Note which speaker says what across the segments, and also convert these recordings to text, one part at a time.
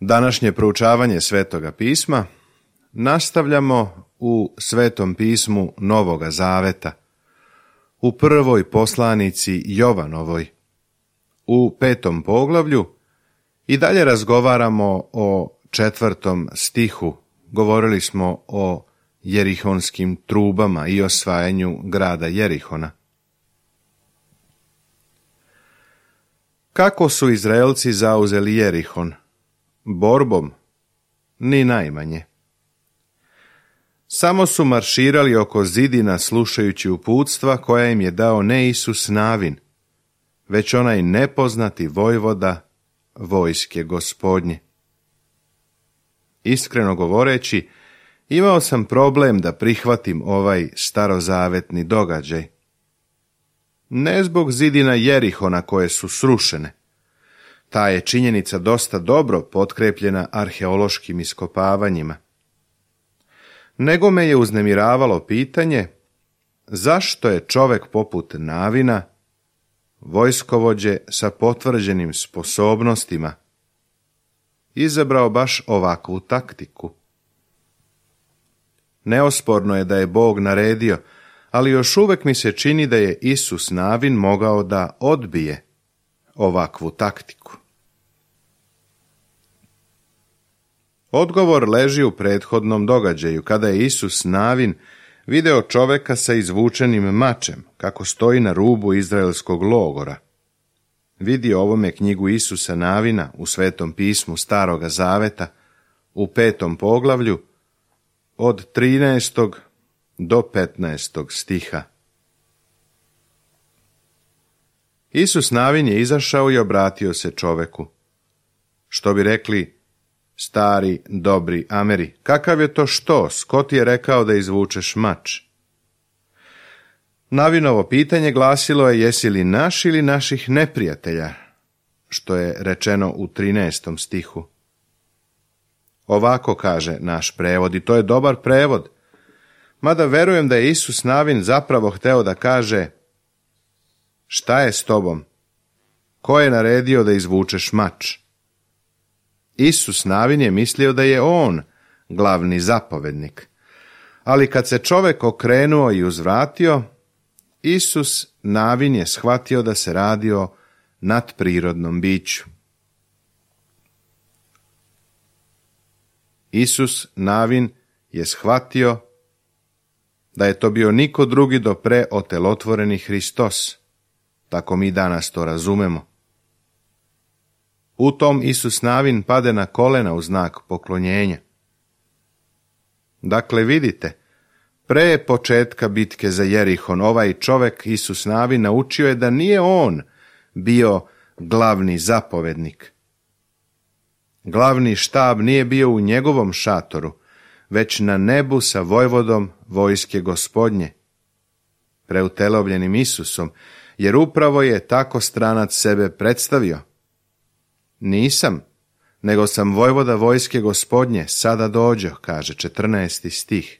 Speaker 1: Današnje proučavanje Svetoga pisma nastavljamo u Svetom pismu Novoga Zaveta, u prvoj poslanici Jovanovoj, u 5. poglavlju i dalje razgovaramo o 4. stihu. Govorili smo o jerihonskim trubama i osvajanju grada Jerihona. Kako su Izraelci zauzeli Jerihon? Borbom? Ni najmanje. Samo su marširali oko zidina slušajući uputstva koja im je dao ne Isus Navin, već onaj nepoznati vojvoda vojske Gospodnje. Iskreno govoreći, imao sam problem da prihvatim ovaj starozavetni događaj. Ne zbog zidina Jerihona koje su srušene. Ta je činjenica dosta dobro potkrepljena arheološkim iskopavanjima. Nego me je uznemiravalo pitanje zašto je čovek poput Navina, vojskovođe sa potvrđenim sposobnostima, izabrao baš ovakvu taktiku. Neosporno je da je Bog naredio, ali još uvek mi se čini da je Isus Navin mogao da odbije ovakvu taktiku. Odgovor leži u prethodnom događaju, kada je Isus Navin video čoveka sa izvučenim mačem, kako stoji na rubu izraelskog logora. Vidi ovome knjigu Isusa Navina u Svetom pismu Staroga Zaveta, u 5. poglavlju, od 13. do 15. stiha. Isus Navin je izašao i obratio se čoveku. Što bi rekli stari, dobri Ameri, kakav je to štos, ko ti je rekao da izvučeš mač? Navinovo pitanje glasilo je jesi li naš ili naših neprijatelja, što je rečeno u 13. stihu. Ovako kaže naš prevod i to je dobar prevod, mada verujem da je Isus Navin zapravo hteo da kaže šta je s tobom? Ko je naredio da izvučeš mač? Isus Navin je mislio da je on glavni zapovednik, ali kad se čovek okrenuo i uzvratio, Isus Navin je shvatio da se radi o nadprirodnom biću. Isus Navin je shvatio da je to bio niko drugi do pre otelotvoreni Hristos. Tako mi danas to razumemo. U tom Isus Navin pade na kolena u znak poklonjenja. Dakle, vidite, pre početka bitke za Jerihon, ovaj čovek Isus Navin naučio je da nije on bio glavni zapovednik. Glavni štab nije bio u njegovom šatoru, već na nebu sa vojvodom vojske Gospodnje, preutelovljenim Isusom, jer upravo je tako stranac sebe predstavio. Nisam, nego sam vojvoda vojske Gospodnje, sada dođo, kaže 14. stih.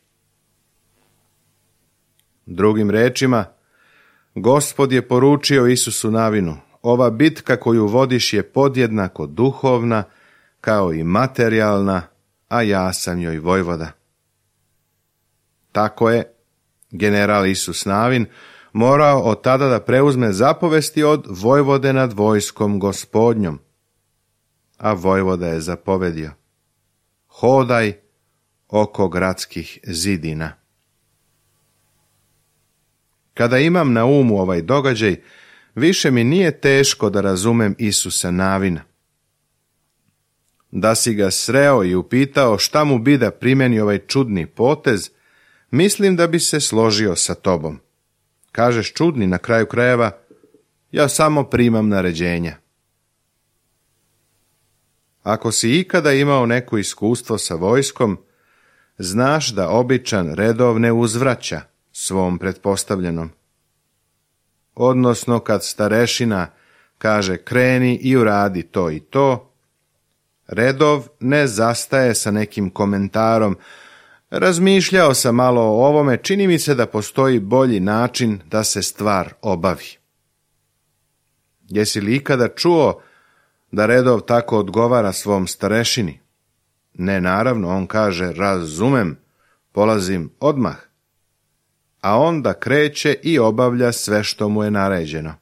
Speaker 1: Drugim rečima, Gospod je poručio Isusu Navinu, ova bitka koju vodiš je podjednako duhovna kao i materijalna, a ja sam joj vojvoda. Tako je general Isus Navin morao od tada da preuzme zapovesti od vojvode nad vojskom Gospodnjom. A vojvoda je zapovedio: hodaj oko gradskih zidina. Kada imam na umu ovaj događaj, više mi nije teško da razumem Isusa Navina. Da si ga sreo i upitao šta mu bi da primeni ovaj čudni potez, mislim da bi se složio sa tobom. Kažeš čudni, na kraju krajeva, ja samo primam naređenja. Ako si ikada imao neko iskustvo sa vojskom, znaš da običan redov ne uzvraća svom pretpostavljenom. Odnosno, kad starešina kaže kreni i uradi to i to, redov ne zastaje sa nekim komentarom, razmišljao sam malo o ovome, čini mi se da postoji bolji način da se stvar obavi. Jesi li ikada čuo da redov tako odgovara svom starešini? Ne, naravno, on kaže, razumem, polazim odmah. A onda kreće i obavlja sve što mu je naređeno.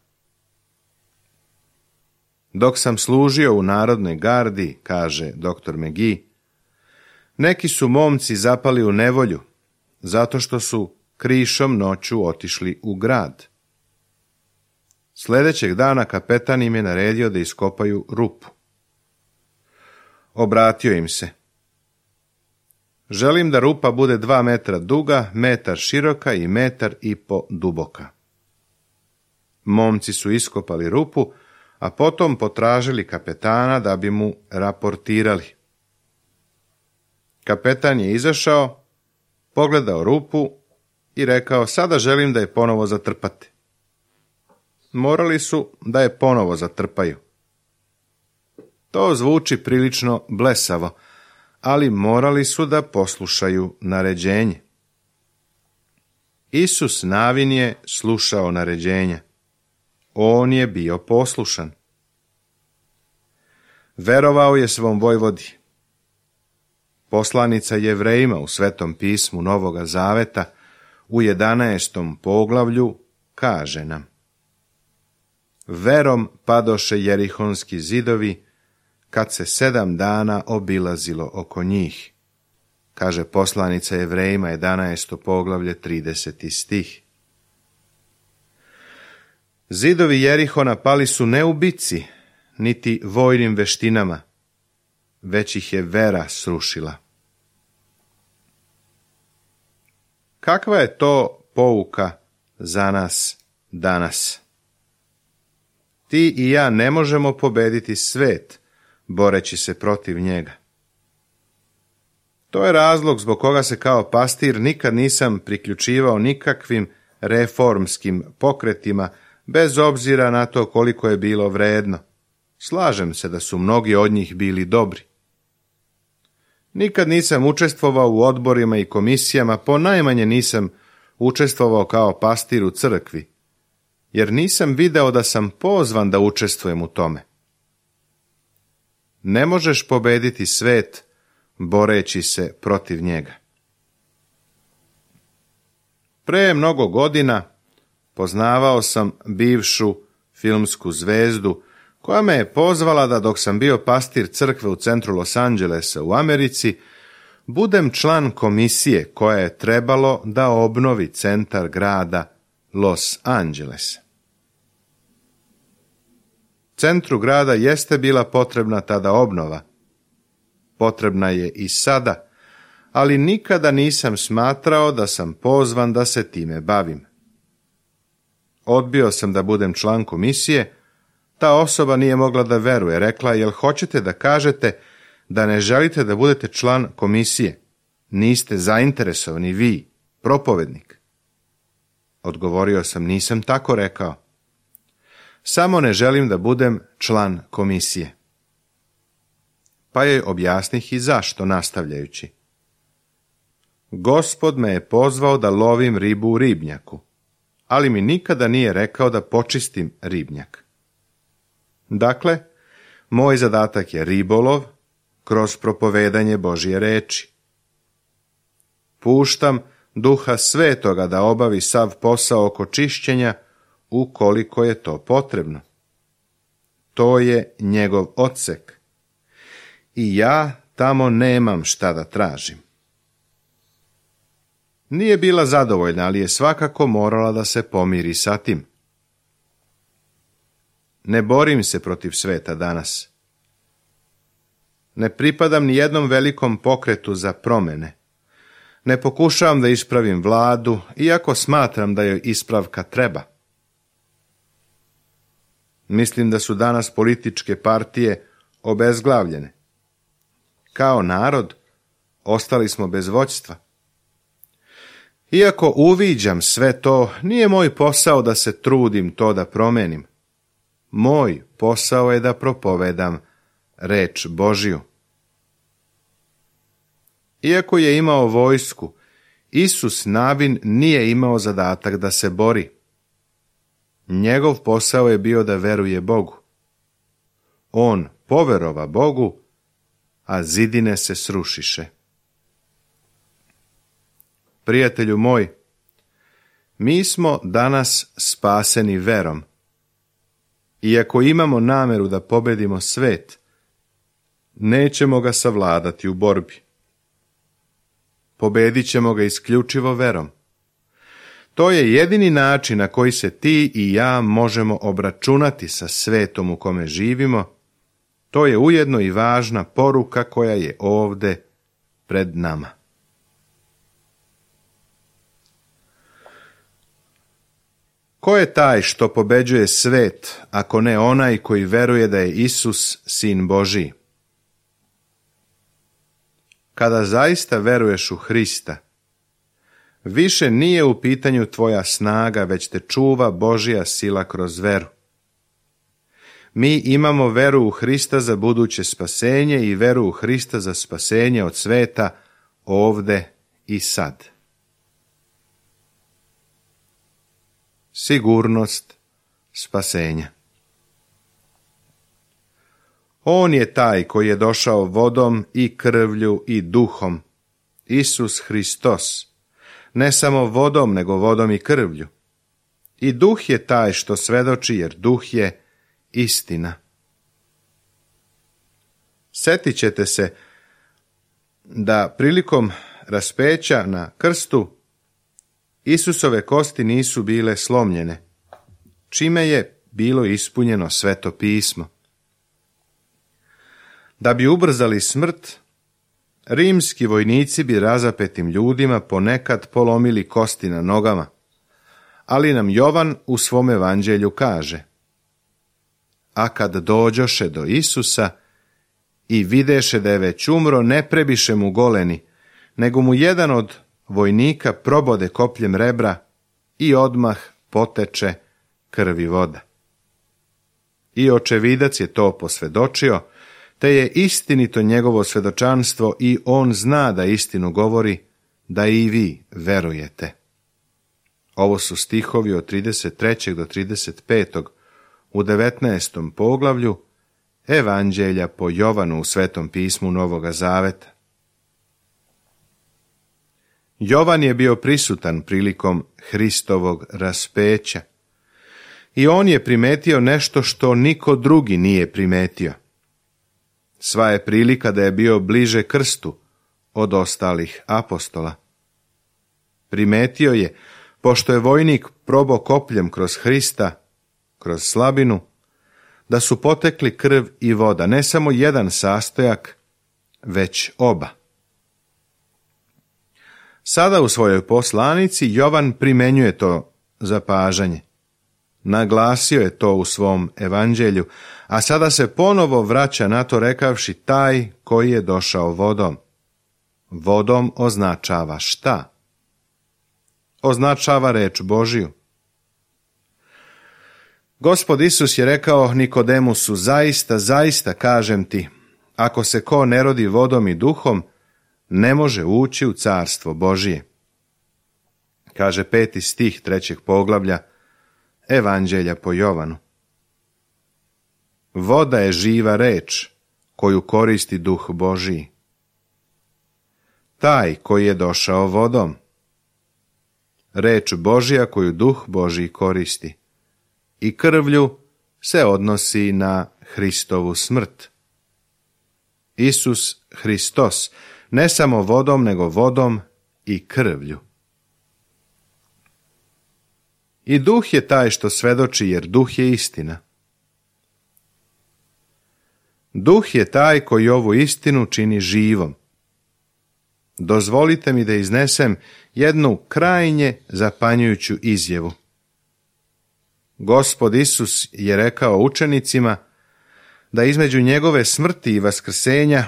Speaker 1: Dok sam služio u Narodnoj gardi, kaže dr. McGee, neki su momci zapali u nevolju, zato što su krišom noću otišli u grad. Sljedećeg dana kapetan im je naredio da iskopaju rupu. Obratio im se. Želim da rupa bude 2 metra duga, metar široka i 1,5 metra duboka. Momci su iskopali rupu, a potom potražili kapetana da bi mu raportirali. Kapetan je izašao, pogledao rupu i rekao, sada želim da je ponovo zatrpate. Morali su da je ponovo zatrpaju. To zvuči prilično blesavo, ali morali su da poslušaju naređenje. Isus Navin je slušao naređenja. On je bio poslušan. Verovao je svom vojvodi. Poslanica Jevrejima u Svetom pismu Novoga Zaveta u 11. poglavlju kaže nam: Verom padoše jerihonski zidovi kad se 7 dana obilazilo oko njih, kaže poslanica Jevrejima 11. poglavlje 30. stih. Zidovi Jerihona pali su ne u bici, niti vojnim veštinama, već ih je vera srušila. Kakva je to pouka za nas danas? Ti i ja ne možemo pobediti svet, boreći se protiv njega. To je razlog zbog koga se kao pastir nikad nisam priključivao nikakvim reformskim pokretima, bez obzira na to koliko je bilo vredno. Slažem se da su mnogi od njih bili dobri. Nikad nisam učestvovao u odborima i komisijama, ponajmanje nisam učestvovao kao pastir u crkvi, jer nisam video da sam pozvan da učestvujem u tome. Ne možeš pobediti svet boreći se protiv njega. Pre mnogo godina poznavao sam bivšu filmsku zvezdu koja me je pozvala da dok sam bio pastir crkve u centru Los Angelesa u Americi, budem član komisije koja je trebalo da obnovi centar grada Los Angeles. Centru grada jeste bila potrebna tada obnova. Potrebna je i sada, ali nikada nisam smatrao da sam pozvan da se time bavim. Odbio sam da budem član komisije. Ta osoba nije mogla da veruje. Rekla, jel hoćete da kažete da ne želite da budete član komisije? Niste zainteresovani vi, propovednik. Odgovorio sam, nisam tako rekao. Samo ne želim da budem član komisije. Pa joj objasnih i zašto, nastavljajući. Gospod me je pozvao da lovim ribu u ribnjaku, ali mi nikada nije rekao da počistim ribnjak. Dakle, moj zadatak je ribolov kroz propovedanje Božje reči. Puštam Duha Svetoga da obavi sav posao oko čišćenja ukoliko je to potrebno. To je njegov odsek. I ja tamo nemam šta da tražim. Nije bila zadovoljna, ali je svakako morala da se pomiri sa tim. Ne borim se protiv sveta danas. Ne pripadam ni jednom velikom pokretu za promjene. Ne pokušavam da ispravim vladu, iako smatram da joj ispravka treba. Mislim da su danas političke partije obezglavljene. Kao narod ostali smo bez vođstva. Iako uviđam sve to, nije moj posao da se trudim to da promenim. Moj posao je da propovedam reč Božju. Iako je imao vojsku, Isus Navin nije imao zadatak da se bori. Njegov posao je bio da veruje Bogu. On poverova Bogu, a zidine se srušiše. Prijatelju moj, mi smo danas spaseni verom. Iako imamo nameru da pobedimo svet, nećemo ga savladati u borbi. Pobedit ćemo ga isključivo verom. To je jedini način na koji se ti i ja možemo obračunati sa svetom u kome živimo. To je ujedno i važna poruka koja je ovde pred nama. Ko je taj što pobeđuje svet, ako ne onaj koji veruje da je Isus Sin Božiji? Kada zaista veruješ u Hrista, više nije u pitanju tvoja snaga, već te čuva Božja sila kroz veru. Mi imamo veru u Hrista za buduće spasenje i veru u Hrista za spasenje od sveta ovde i sad. Sigurnost spasenja. On je taj koji je došao vodom i krvlju i duhom, Isus Hristos, ne samo vodom, nego vodom i krvlju. I duh je taj što svedoči, jer duh je istina. Sjetit ćete se da prilikom raspeća na krstu Isusove kosti nisu bile slomljene, čime je bilo ispunjeno Sveto pismo. Da bi ubrzali smrt, rimski vojnici bi razapetim ljudima ponekad polomili kosti na nogama, ali nam Jovan u svom evanđelju kaže: a kad dođoše do Isusa i videše da je već umro, ne prebiše mu goleni, nego mu jedan od vojnika probode kopljem rebra i odmah poteče krv i voda. I očevidac je to posvedočio, te je istinito njegovo svedočanstvo i on zna da istinu govori, da i vi verujete. Ovo su stihovi od 33. do 35. u 19. poglavlju Evanđelja po Jovanu u Svetom pismu Novoga Zaveta. Jovan je bio prisutan prilikom Hristovog raspeća i on je primetio nešto što niko drugi nije primetio. Sva je prilika da je bio bliže krstu od ostalih apostola. Primetio je, pošto je vojnik probao kopljem kroz Hrista, kroz slabinu, da su potekli krv i voda, ne samo jedan sastojak, već oba. Sada u svojoj poslanici Jovan primenjuje to zapažanje. Naglasio je to u svom evanđelju, a sada se ponovo vraća na to rekavši taj koji je došao vodom. Vodom označava šta? Označava reč Božiju. Gospod Isus je rekao Nikodemusu: zaista, zaista kažem ti, ako se ko ne rodi vodom i duhom, ne može ući u carstvo Božije. Kaže 5. stih 3. poglavlja Evanđelja po Jovanu. Voda je živa reč koju koristi duh Božiji. Taj koji je došao vodom. Reč Božja koju duh Božiji koristi. I krvlju se odnosi na Hristovu smrt. Isus Hristos, ne samo vodom, nego vodom i krvlju. I duh je taj što svedoči, jer duh je istina. Duh je taj koji ovu istinu čini živom. Dozvolite mi da iznesem jednu krajnje zapanjujuću izjavu. Gospod Isus je rekao učenicima da između njegove smrti i vaskrsenja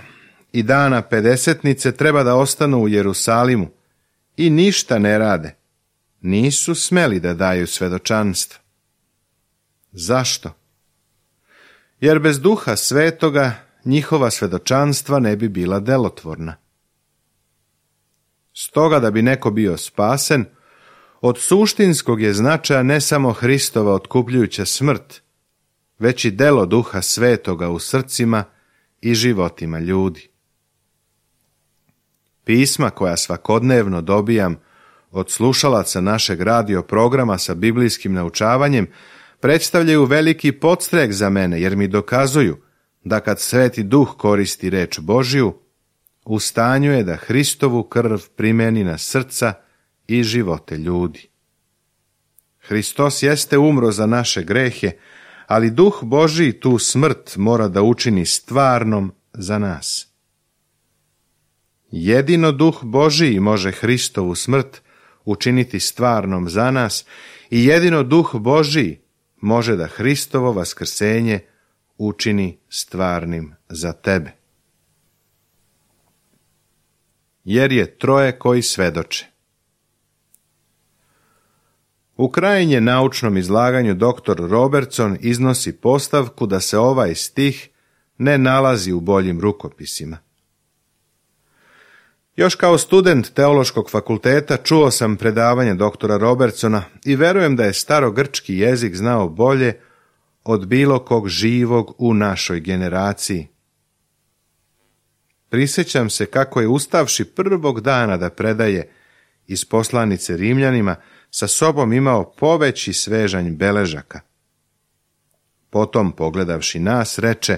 Speaker 1: i dana pedesetnice treba da ostanu u Jerusalimu i ništa ne rade. Nisu smeli da daju svedočanstvo. Zašto? Jer bez Duha Svetoga njihova svedočanstva ne bi bila delotvorna. Stoga da bi neko bio spasen, od suštinskog je značaja ne samo Hristova otkupljujuća smrt, već i delo Duha Svetoga u srcima i životima ljudi. Pisma koja svakodnevno dobijam od slušalaca našeg radio programa sa biblijskim naučavanjem predstavljaju veliki podstrek za mene, jer mi dokazuju da kad Sveti Duh koristi reč Božju, u stanju je da Hristovu krv primeni na srca i živote ljudi. Hristos jeste umro za naše grehe, ali Duh Božji tu smrt mora da učini stvarnom za nas. Jedino Duh Božji može Hristovu smrt učiniti stvarnom za nas i jedino Duh Božji može da Hristovo vaskrsenje učini stvarnim za tebe. Jer je troje koji svedoče. U krajnje naučnom izlaganju dr. Robertson iznosi postavku da se ovaj stih ne nalazi u boljim rukopisima. Još kao student Teološkog fakulteta čuo sam predavanje doktora Robertsona i verujem da je starogrčki jezik znao bolje od bilo kog živog u našoj generaciji. Prisjećam se kako je ustavši prvog dana da predaje iz poslanice Rimljanima, sa sobom imao poveći svežanj beležaka. Potom, pogledavši nas, reče: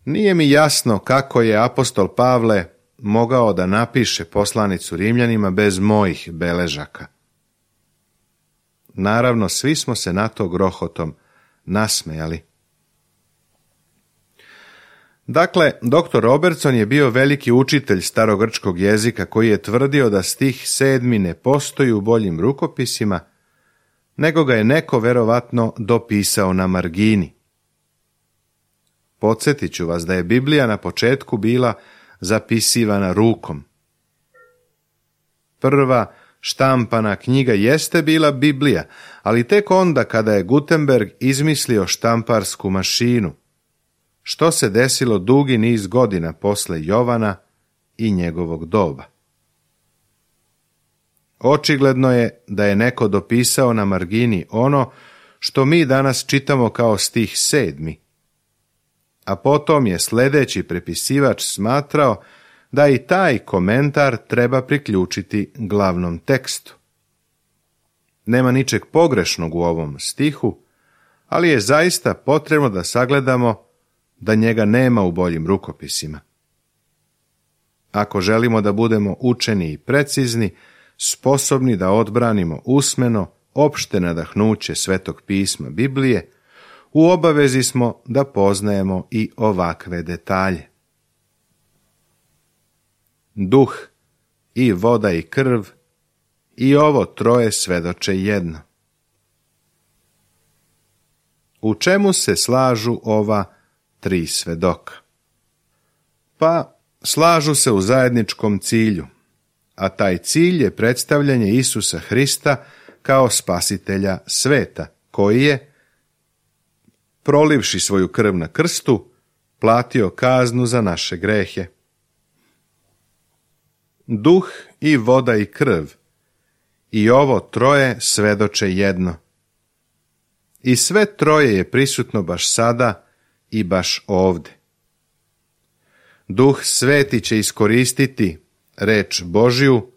Speaker 1: nije mi jasno kako je apostol Pavle mogao da napiše poslanicu Rimljanima bez mojih beležaka. Naravno, svi smo se na to grohotom nasmejali. Dakle, dr. Robertson je bio veliki učitelj starogrčkog jezika koji je tvrdio da stih 7. ne postoji u boljim rukopisima, nego ga je neko verovatno dopisao na margini. Podsjetit ću vas da je Biblija na početku bila zapisivana rukom. Prva štampana knjiga jeste bila Biblija, ali tek onda kada je Gutenberg izmislio štamparsku mašinu, što se desilo dugi niz godina posle Jovana i njegovog doba. Očigledno je da je neko dopisao na margini ono što mi danas čitamo kao stih 7. A potom je sljedeći prepisivač smatrao da i taj komentar treba priključiti glavnom tekstu. Nema ničeg pogrešnog u ovom stihu, ali je zaista potrebno da sagledamo da njega nema u boljim rukopisima. Ako želimo da budemo učeni i precizni, sposobni da odbranimo usmeno opšte nadahnuće Svetog pisma Biblije, u obavezi smo da poznajemo i ovakve detalje. Duh i voda i krv i ovo troje svedoče jedno. U čemu se slažu ova tri svedoka? Pa, slažu se u zajedničkom cilju, a taj cilj je predstavljanje Isusa Hrista kao spasitelja sveta, koji je, prolivši svoju krv na krstu, platio kaznu za naše grehe. Duh i voda i krv i ovo troje svedoče jedno. I sve troje je prisutno baš sada i baš ovde. Duh Sveti će iskoristiti reč Božju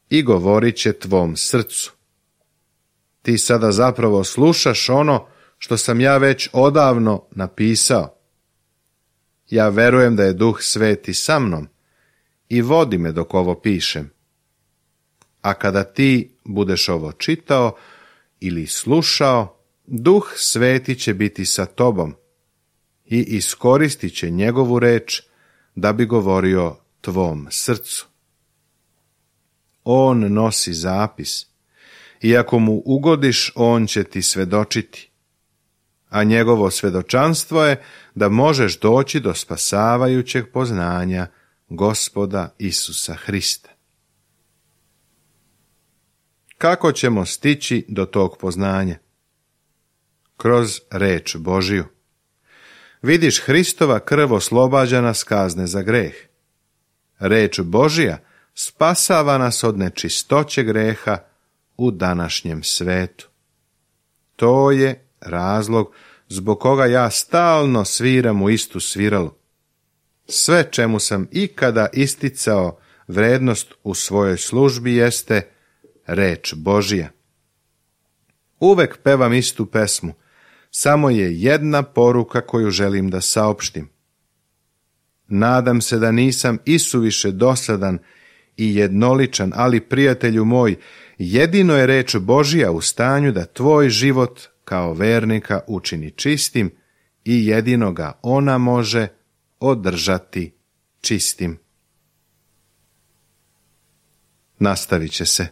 Speaker 1: i govorit će tvom srcu. Ti sada zapravo slušaš ono što sam ja već odavno napisao. Ja verujem da je Duh Sveti sa mnom i vodi me dok ovo pišem. A kada ti budeš ovo čitao ili slušao, Duh Sveti će biti sa tobom i iskoristit će njegovu reč da bi govorio tvom srcu. On nosi zapis i ako mu ugodiš, on će ti svedočiti. A njegovo svedočanstvo je da možeš doći do spasavajućeg poznanja Gospoda Isusa Hrista. Kako ćemo stići do tog poznanja? Kroz reč Božju. Vidiš, Hristova krv oslobađa nas kazne za greh. Reč Božja spasava nas od nečistoće greha u današnjem svetu. To je razlog zbog koga ja stalno sviram u istu sviralu. Sve čemu sam ikada isticao vrednost u svojoj službi jeste reč Božija. Uvek pevam istu pesmu, samo je jedna poruka koju želim da saopštim. Nadam se da nisam isuviše dosadan i jednoličan, ali prijatelju moj, jedino je reč Božija u stanju da tvoj život kao vernika učini čistim i jedino ga ona može održati čistim. Nastavit će se.